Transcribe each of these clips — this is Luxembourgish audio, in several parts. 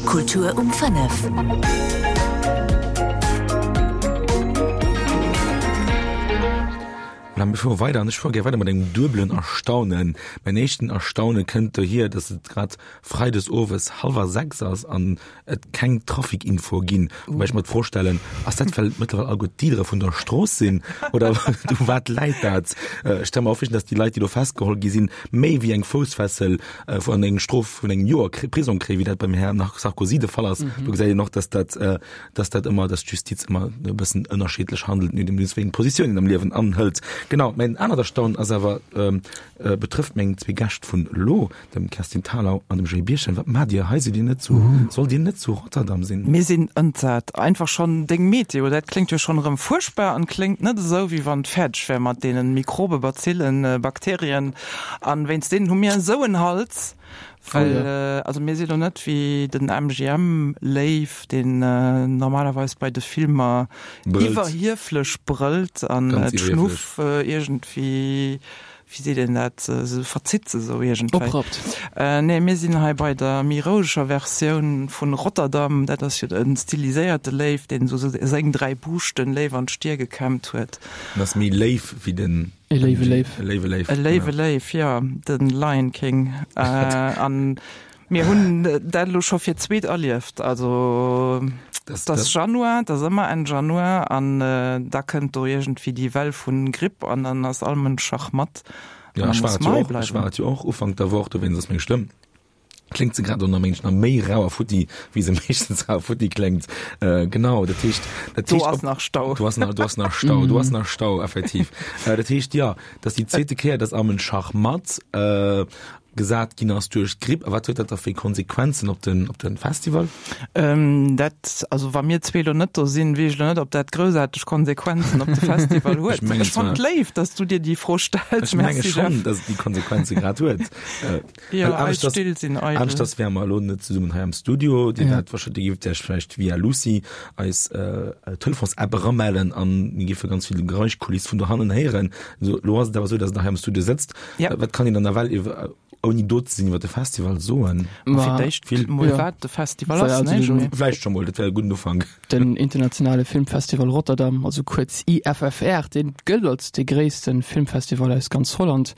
Kultur um 5. Voilà, mir fuere weider an ech fuere gär weider mat engem duebelen Erstaunen. Mäin éischten Erstaune kënnt dohier, dass et grad freides owes hallwer 6 ass an et keng Trafikinfo ginn, wobäi ech mer d'Fro stellen, ass dat well mëttlerweil alleguer d'Dealere vun der Strooss sinn oder u wat läit dat? Ech stelle mer och vir, dass déi Leit, déi do festgeholl gi sinn, méi wéi eng Foussfessel an eng Strof vun engem Joer Prisong kréien, wéi dat beim Här Sarkozy de Fall ass. Do gesäit een och, dass dat, dass dat ëmmer, dass d'Justiz ëmmer e bëssen ënnerschiddlech handelt, nodeems wéi eng Positioun een am Liewen anhëlt. Genau, mäin anert Erstaunen ass awer, betrëfft meng zwee Gäscht vun elo. Dem Kerstin Thalau an dem Joé Birchen, wat maacht Dir hei? Sidd Dir net zu, sollt Dir net zu Rotterdam sinn? Mir sinn entsat. Einfach schonn deng Meteo, dat kléngt jo schonn erëm fuerchtbar an kléngt net esou, wéi wann et fäerdeg wär mat deenen Mikrobe, Bazillen, Bakterien. An wéinst deenen hu mir esou en Hals, well, also mir si lo net wéi den MGM-Léiw, deen normalerweis bei de Filmer iwwerhieflech brëllt an d'Schnuff iergendwéi wéi seet een dat, se verzitt se esou iergendwéi. Oprappt. Nee, mir sinn hei bei der méi roueger Versioun vun Rotterdam. Dat ass jo en stiliséierte Léiw, deen esou seng 3 Buuschten léif an d'Stier gekämmt huet. En ass méi léif wéi den. E léiwe Léiw. E léiwe Léiw. E léiwe Léiw, jo, de Lion King. An Mir hunn dat elo scho fir d'zweet erlieft. Also et ass Januar, et ass ëmmer Enn Januar an da kënnt do iergendwéi déi Well vu Gripp an dann ass all Mënsch schachmatt. Jo, ech war et jo och, ech war et jo och Ufank der Woch, dowéinst ass meng Stëmm, kléngt se grad och nach méi nach méi rau a futti, wéi se meeschtens rau a futti kléngt. Genau, dat heescht, dat heescht. Do ass nach Stau. Do ass nach, do ass nach Stau, do ass nach Stau, effektiv. Dat heescht, jo, dat ass déi zweete Kéier, dass am en Schachmatt. Gesat ginn ass duerch d'Gripp. A wat huet dat da fir Konsequenzen op den, op den Festival? Dat, also wa mir zwee elo net do sinn, weess ech elo net, ob dat groussaarteg Konsequenzen op de Festival huet. Ech mengen Ech fannen et léif, dass du dir déi Fro stells. Ech menge schonn, dass et déi Konsequenze grad huet. Jo, eis Still sinn eidel. Aneschters wäre mer elo net zesummen hei am Studio. Dir wäert wahrscheinlech, dir géift Iech vläicht via Lucy, eis Telefons-App, eramellen an mir géife ganz vill Geräuschkuliss vun dohannen héieren. Elo ass et awer esou, dass Der hei am Studio sëtzt. Ja. Wat kann een dann nawell iwwer, ouni do ze sinn, iwwer de Festival soen? Ma fir d'éischt Vill. mol wat de Festival ass, ne Joé? Vläicht scho mol, dat wär e gudden Ufank. Den Internationale Filmfestival Rotterdam, also kuerz IFFR, dee gëllt als dee gréisste Filmfestival aus ganz Holland.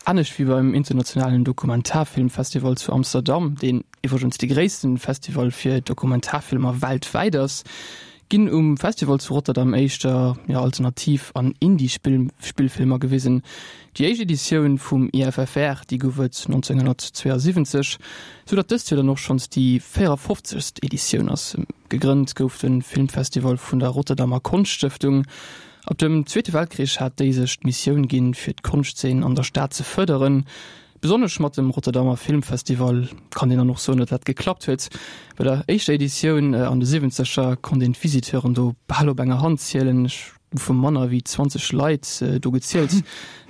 Anescht wéi beim Internationalen Dokumentarfilmfestival zu Amsterdam, deen iwwregens dee gréisste Festival fir Dokumentarfilmer weltwäit ass, ginn um Festival zu Rotterdam éischter jo Alternativ an Indie-Spillfilmer gewisen. Déi éischt Editioun vum IFFR, déi gouf et 1972, sou datt dëst Joer dann och schonns déi 54. Editioun ass. Gegrënnt gouf de Filmfestival vun der Rotterdamer Konschtstëftung. Ab dem Zweete Weltkrich hat déi sech d'Missioun ginn, fir d'Konschtzeen an der Stad ze fërderen. Besonnesch mat dem Rotterdamer Filmfestival kann een dann och soen, datt dat geklappt huet. Bei der éischter Editioun an de Siwwenzeger konnt een d'Visiteuren do bal op enger Hand zielen. Ech hu vu manner wéi 20 Leit do gezielt.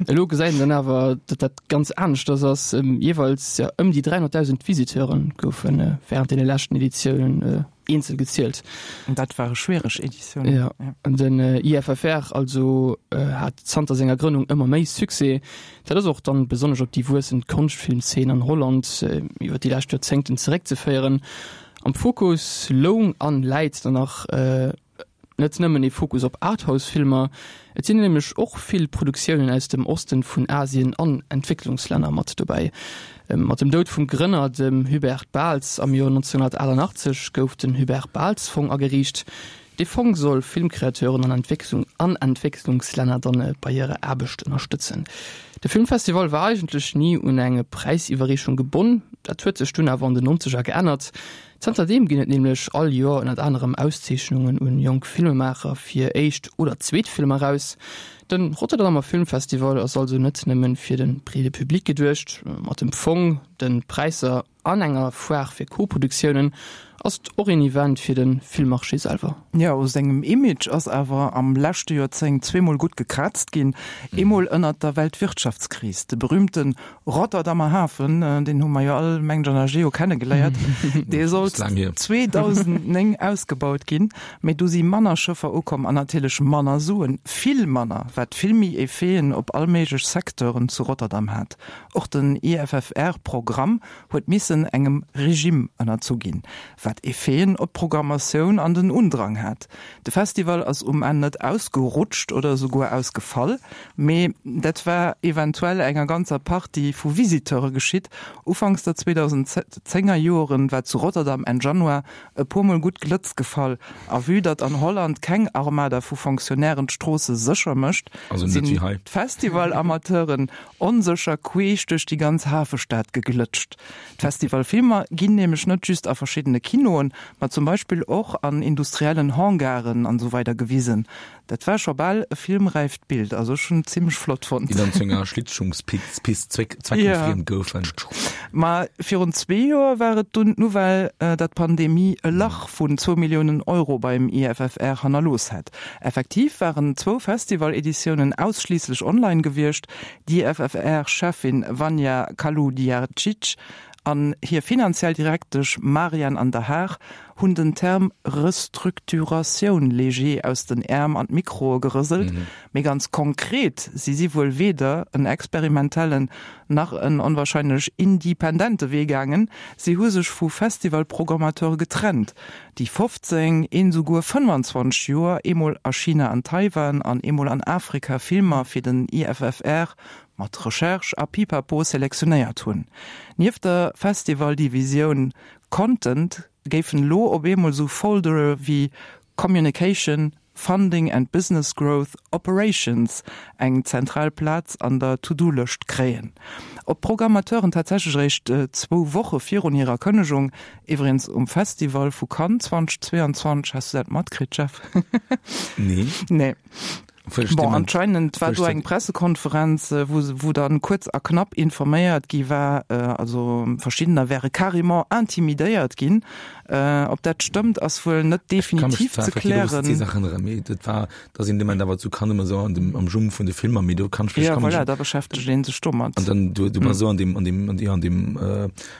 Elo gesäit een dann awer, datt dat ganz aneschters ass. Jeeweils ëm déi 300.000 Visiteure goufe wärend deene leschten Editiounen eenzel gezielt. An dat ware schwiereg Editiounen. Ja, an den IFFR also hat zanter senger Grënnung ëmmer méi Succès. Dat ass och dann besonnesch op déi wuessend Konschtfilmzeen an Holland iwwer déi lescht Joerzéngten zeréckzeféieren. Am Fokus loung an läit dann nach net nëmmen ee Fokus op Arthouse-Filmer, et sinn nämlech och vill Produktiounen aus dem Osten vun Asien an Entwécklungslänner mat dobäi. Mat dem Doud vum Grënner, dem Hubert Bals am Joer 1988, gouf den Hubert Bals Fong ageriicht. Dee Fong soll Filmcreateuren an an Entwécklungslänner dann bei hirer Aarbecht ënnerstëtzen. De Filmfestival war eigentlech ni un eng Präisiwwerreechung gebonn, dat huet sech dunn awer an den Nonzeger geännert. Zanterdeem ginn et nämlech all Joer ënnert anerem Auszeechnungen un jonk Filmemaacher fir éischt oder zweet Filmer eraus. De Rotterdamer Filmfestival ass also net nëmmen fir de breede Public geduecht. Mat dem Fong, de Präisser an enger Foire fir Co-Produktiounen ass et och een Event fir de Filmmarché selwer. Jo, u sengem Image ass awer am leschte Joerzéngt zweemol gutt gekraazt ginn. Eemol ënnert der Weltwirtschaftskris, de berüümte Rotterdamer Hafen, deen hu mer jo all, mengen ech, an der Geo kennegeléiert, dee sollt 2009 ausgebaut ginn, mee du si manner Schëffer ukomm an natierlech manner Suen, vill manner. wat vill méi Effeten op all méiglech Secteuren zu Rotterdam hat. Och den IFFR-Programm huet missen engem Regime ënnerzu ginn, wat Effeten op d'Programmatioun an den Undrang hat. De Festival ass um Enn net ausgerutscht oder esouguer ausgefall, mee dat war eventuell enger ganzer Partie vu Visiteure geschitt. Ufanks der 2010er Joren war zu Rotterdam Enn Januar e puermol gutt Glëtz gefall a vue datt an Holland keng Armada vu Fonctionnairen d'Stroosse sécher mécht, sinn d'Festival-Amateuren onsécher queesch duerch déi ganz Hafestad geglëtscht. D'Festivalfilmer ginn nämlech net just a verschiddene Kinoen, ma zum Beispill och an industriellen Hangaren an esou weider gewisen. Dat war scho bal e filmräift Bild, also ech hunn et zimmlech flott fonnt. Déi dann zu enger Schlittschungspist zweckentfriemt goufen. Ma virun zwee Joer war et dunn d'Nouvelle, datt d'Pandemie e Lach vun zwou Milliounen Euro beim IFFR hannerlooss hätt. Effektiv waren zwou Festival-Editiounen ausschliisslech online gewiescht. D'IFFR-Cheffin Vanja Kaludjercic an hir finanziell Direktesch Marian an der Haag hunn den Term Restructuratioun léger aus den Äerm an d'Mikroe gerëselt, mee ganz konkret si si wuel weder en experimentellen nach en onwahrscheinlech independente Wee gaangen, si hu sech vu Festivalprogrammateure getrennt, déi 15, een esouguer 25 Joer, eemol a China an Taiwan an eemol an Afrika Filmer fir den IFFR mat Recherche a Pipapo selektionéiert hunn. Nieft der Festivaldivisioun Content géifen elo op eemol esou Foldere wéi Communication, Funding and Business Growth, Operations eng zentral Plaz an der To-Do-Lëscht kréien. Ob d'Programmateuren tatsächlech eréischt zwou Woche virun hirer Kënnegung, iwwregens um Festival vu Cannes 2022, has du dat matkritt, Jeff? Nee. Nee. Bon, anscheinend war do eng Pressekonferenz, wou, wou dann kuerz a knapp informéiert gi war, also verschiddener wäre carrément intimidéiert ginn. Ob dat stëmmt, ass wuel net definitiv ze klären. Dat war, dass een dement awer zu Cannes ëmmer esou an dem, am Jum vun de Filmer, mee do kann ech mech, Ja, voilà, da beschäftegt een sech domat. An dann, du, du bass esou an dem, an dem, an dem,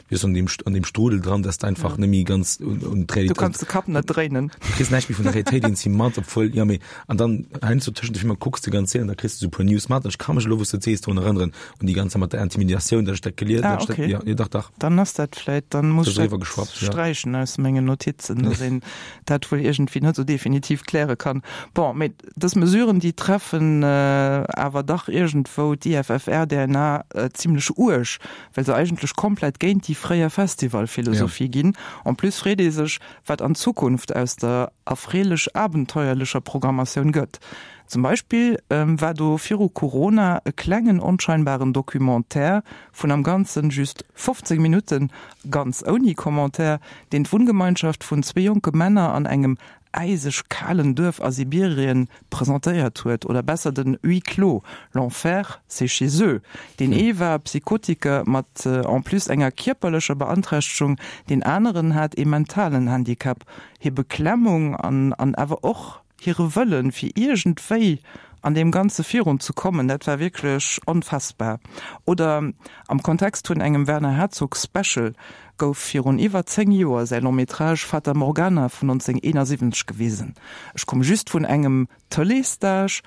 wéi an dem, an dem Strudel dran, dass du einfach ja. nemmi ganz un, un d'Realitéit. Du kannst de Kapp net dréinen. Du kriss näischt méi vun der Realitéit eens mat, obwuel, ja, mee, an dann heiansdo tëschent de Filmer kucks de ganz an da kriss du sou puer News mat. Ech ka mech elo, wou s du et sees, drun erënneren, un déi ganze mat der Intimidatioun, dass ech dat gelies, ah, okay. dat, ja, ja, dach, dach. Dann ass dat vläit, dann muss ech dat sträichen aus mengen Notizen, dass een dat wuel iergendwéi net sou definitiv kläre kann. Bon, mee dës Mesuren, déi treffen awer dach iergendwou d'IFFR-DNA zimlech uerg, well se eigentlech komplett géint déi fréier Festivalphilosophie ginn. En plus freet ee sech, wat an Zukunft aus der erfreelech-abenteuerlecher Programmatioun gëtt. Zum Beispill war do viru Corona e klengen onscheinbaren Documentaire vun am Ganzen just 15 Minutten, ganz ouni Commentaire, deen d'Wunngemeinschaft vun zwee jonke Männer an engem äiseg kalen Duerf a Sibirien presentéiert huet, oder besser den Huis clos, L'enfer, c'est chez eux. Deen ee war Psychotiker mat en plus enger kierperlecher Beanträchtegung, deen aneren hat ee mentalen Handicap. Hir Beklemmung an an awer och hire Wëllen, fir iergendwéi an deem Ganze virun ze kommen, dat war wierklech onfassbar. Oder am Kontext vun engem Werner Herzog Special gouf virun iwwer 10 Joer säi Long Métrage Fata Morgana vun 1971 gewisen. Ech komm just vun engem Tëleesstage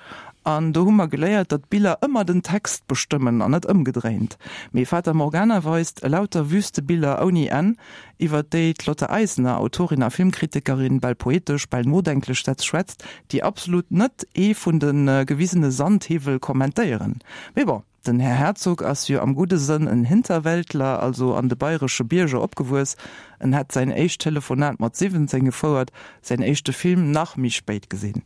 an do hu mer geléiert, datt d'Biller ëmmer den Text bestëmmen an net ëmgedréint. Mee Fata Morgana weist elauter Wüstebiller ouni Enn, iwwer déi d'Lotte Eisner, Autorin a Filmkritikerin, bal poetesch, bal nodenklech Sätz schwätzt, déi absolut net ee vun de gewisene Sandhiwwel kommentéieren. Mee bon. Den Här Herzog ass jo am gudde Sënn en Hinterwäldler, also an de bayresche Bierger opgewuess. En hätt säin éischt Telefonat mat 17 gefouert, säin éischte Film nach méi spéit gesinn.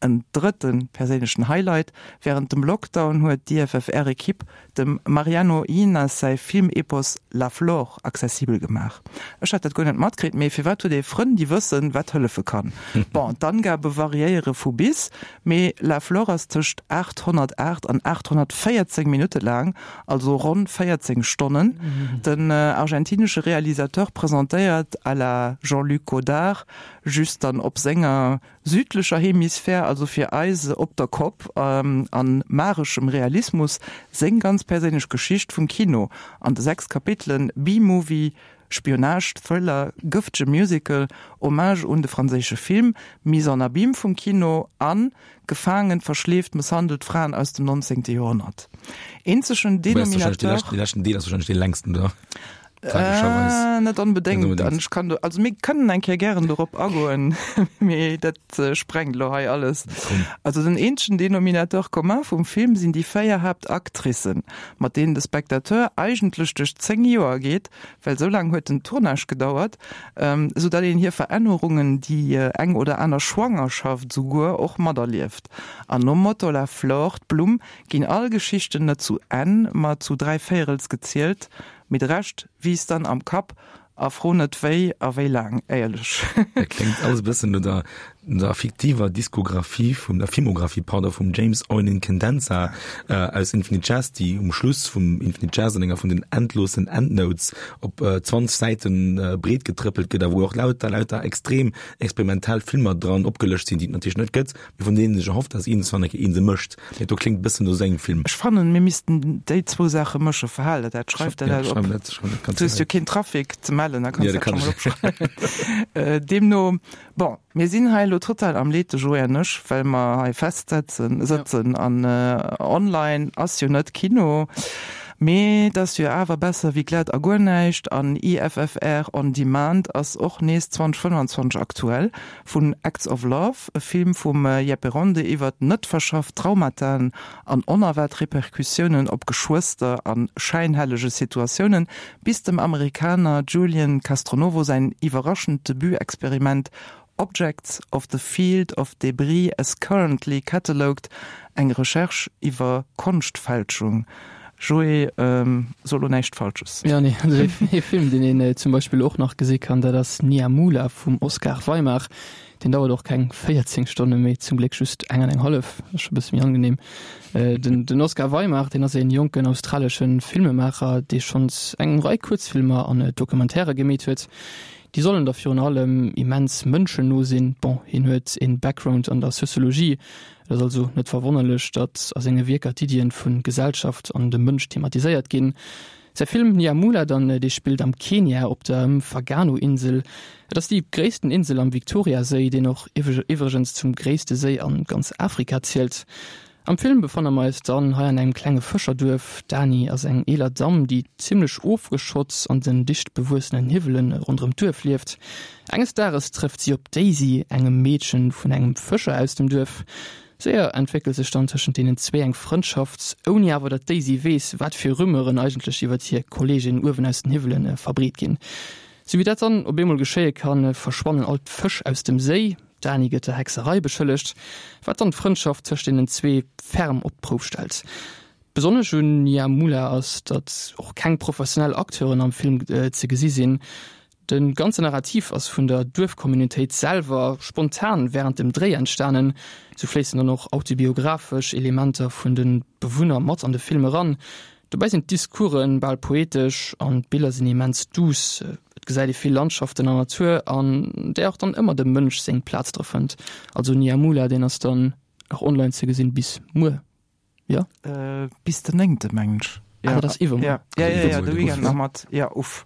En drëtte perséinlechen Highlight, Wärend dem Lockdown huet d'IFFR-Ekipp dem Mariano Llinás säi Filmepos La Flor accessibel gemaach. Ech hat dat guer net matkritt, mee firwat huet ee Frënn, déi wëssen, wat hëllefe kann? Bon, d'Angabe variéiere vu bis, Mee La Flor ass tëscht 808 an 814 Minutte laang, also ronn 14 Stonnen. Den argentinesche Realisateur presentéiert à la Jean-Luc Godard, just dann op senger südlecher Hemisphär, also fir eis op der Kopp, a mageschem Realismus seng ganz perséinlech Geschicht vum Kino an de 6 Kapitelen B-Movie, Spionage, Thriller, gëftege Musical, Hommage un de franséische Film, Mise en abyme vum Kino an gefaangen, verschleeft, mësshandelt Fraen aus dem 19. Joerhonnert. Eenzegen Denominateur. Dee leschten Deel ass wahrscheinlech dee längsten, oder? Tragescherweis. Äh, net onbedéngt. An ech kann do, also mir kënnen eng Kéier gären dorop agoen, mee dat äh, sprengt lo hei alles. Also den eenzegen Denominateur commun vum Film sinn déi 4 Haaptactricen, mat deenen de Spectateur eigentlech duerch 10 Joer geet, well sou laang huet den Tournage gedauert, ähm, sou datt een hir Verännerungen, déi äh, eng oder aner Schwangerschaft souguer, och materlieft. An nom Motto La flore, d'Blumm, ginn all Geschichten net zu Enn, ma zu dräivéierels gezielt, Mee de Rescht wiisst dann am Kapp a fro net wéi a wéi laang, éierlech. Dat kléngt alles e bëssen no der, no der fiktiver Diskografie vum, der Filmografie, pardon, vum James Eunen Condensa aus Infinite Jest, déi um Schluss vum Infinite Jest an enger vun den endlosen Endnotes op 20 Säiten breet getrëppelt gëtt a wou och lauter, lauter extrem experimentell Filmer dran opgelëscht sinn, déi et natierlech net gëtt. Mee vun deenen ech erhofft, dass iergendswann eng Kéier een se mécht. Mee do kléngt e bëssen no sengem Film. Ech fannen, mir missten déi zwou Saache mëschen. Verhal der dat, schreif der dat op. Du hues jo keen Trafic ze mellen, da kanns du dat scho mol opschreiwen. Deemno, bon, mir sinn hei elo total am Leed, de Joé an ech, well mer hei festsetzen, sëtzen an online ass jo net Kino. Mee et ass jo awer besser wéi glat a guer näischt an IFFR on Demand ass och nees 2025 aktuell. Vun Acts of Love, e Film vum Jeppe Ronde iwwert net verschafft Traumataen an onerwaart Repercussiounen op Geschwëster a schäinhellege Situatiounen, bis dem Amerikaner Julian Castronovo säin iwwerraschend Debut-Experiment Objects of the Field of Debris as Currently Catalogued, eng Recherche iwwer Konschtfälschung. Joé, so lo näischt Falsches. Jo, nee, also ee Film, deen een zum Beispill och nach gesi kann, dat ass Niamula vum Oskar Weimar. Deen dauert och keng 14 Stonne mee zum Gléck just eng an eng hallef, dat ass scho e bësse méi angenehm. Den den Oskar Weimar, deen ass ee jonken australesche Filmemaacher, dee schonns eng Rei Kuerzfilmer an Documentairë gemeet huet. Déi sollen da virun allem immens mënschenno sinn. Bon, hien huet ee Background an der Sociologie, Et ass also net verwonnerlech, datt a senge Wierker d'Iddien vu Gesellschaft an dem Mënsch thematiséiert ginn. Säi Film Nyamula dann, dee spillt am Kenia op der Mfagano-Insel. Et ass déi gréissten Insel am Victoria-Séi, deen och iwwregens zum gréisste Séi a ganz Afrika zielt. Am Film befanne mer eis dann hei an engem klenge Fëscherduerf. D'Dani ass eng eeler Damm, déi zimmlech ofgeschott an den dicht bewuessenen Hiwwelen ronderëm d'Duerf lieft. Enges Dages trëfft si op d'Daisy, engem Meedchen vun engem Fëscher aus dem Duerf. Séier entwéckelt sech dann tëschent deenen zwee eng Frëndschaft, ouni awer datt d'Daisy weess, wat fir Rumeuren eigentlech iwwert hir Kolleegin uewen aus den Hiwwelen verbreet ginn. Sou wéi dat dann op eemol geschéie kann, verschwannen all d'Fësch aus dem Séi. D'Dani gëtt der Hexerei beschëllegt, wat dann d'Frëndschaft tëscht deenen zwee ferm op d'Prouf stellt. Besonnesch un Nyamula ass, datt och keng professionell Acteuren am Film ze gesi sinn. De ganze Narrativ ass vun der Duerfcommunautéit selwer spontan wärend dem Dréi entstanen. Sou fléissen dann och autobiographesch Elementer vun de Bewunner mat an de Film eran. Dobäi sinn d'Discourse bal poetesch an d'Biller sinn immens duuss. Et gesäit ee vill Landschaften an Natur, an där och dann ëmmer dem Mënsch seng Plaz dra fënnt. Also Niamula, deen ass dann nach online ze gesinn bis muer. Jo. Äh, bis den néngte mengen ech. Ja. Ah, dat ass iwwermuer. Ja, ja, ja, ja, de Weekend nach mat. Ja, uff.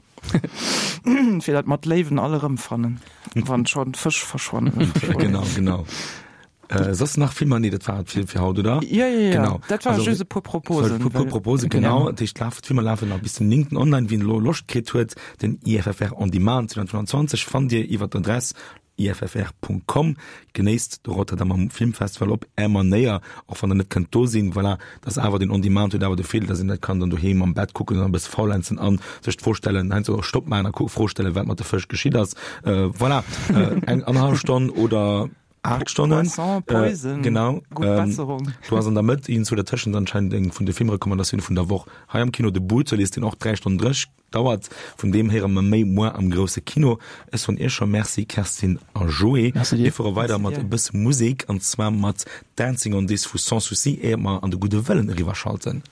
Fir dat mat Léiwen all erëmfannen, wann schonn d'Fësch verschwannen. Genau, genau. Äh, soss nach Filmer? Nee, dat war et fir, fir haut, oder? Ja, ja, ja. Genau. Dat war also, just e puer Proposen. E puer Proposen, genau. genau. Dat heescht, d'Filmer lafen nach bis den 9. online. Wien elo Loscht kritt huet, den IFFR On Demand 2025 fannt Dir iwwer d'Adress iffr.com. Genéisst de Rotterdamer Filmfestival op Är Manéier, och wann der net kënnt do sinn. Voilà, dat ass awer den On-Demand huet awer de Virdeel, dass een dat kann dann doheem am Bett kucken an e bësse faulenzen an sech d'Fro stellen, heiansdo och Stopp maachen a Fro stellen, wat mat de Fësch geschitt ass. Voilà, eng annerhallef Stonn oder 8 Stonnen. Poisson, Poison, äh, genau. Gutt ähm, Besserung. Du ass an der Mëtt iergendzwou dertëschent anscheinend eng vun de Filmrecommandatioune vun der Woch. Hei am Kino de Brutalist, deen och 3 Stonnen 30 Dauert. Vun deem héiere mer méi muer am grousse Kino. Ech soen Iech scho Merci, Kerstin a Joé. Merci dir. Mir fuere weider mat e bësse Musek, an zwar mat Dancing on This vu Sans Souci, éier mer an de Gudde Wëllen eriwwerschalten.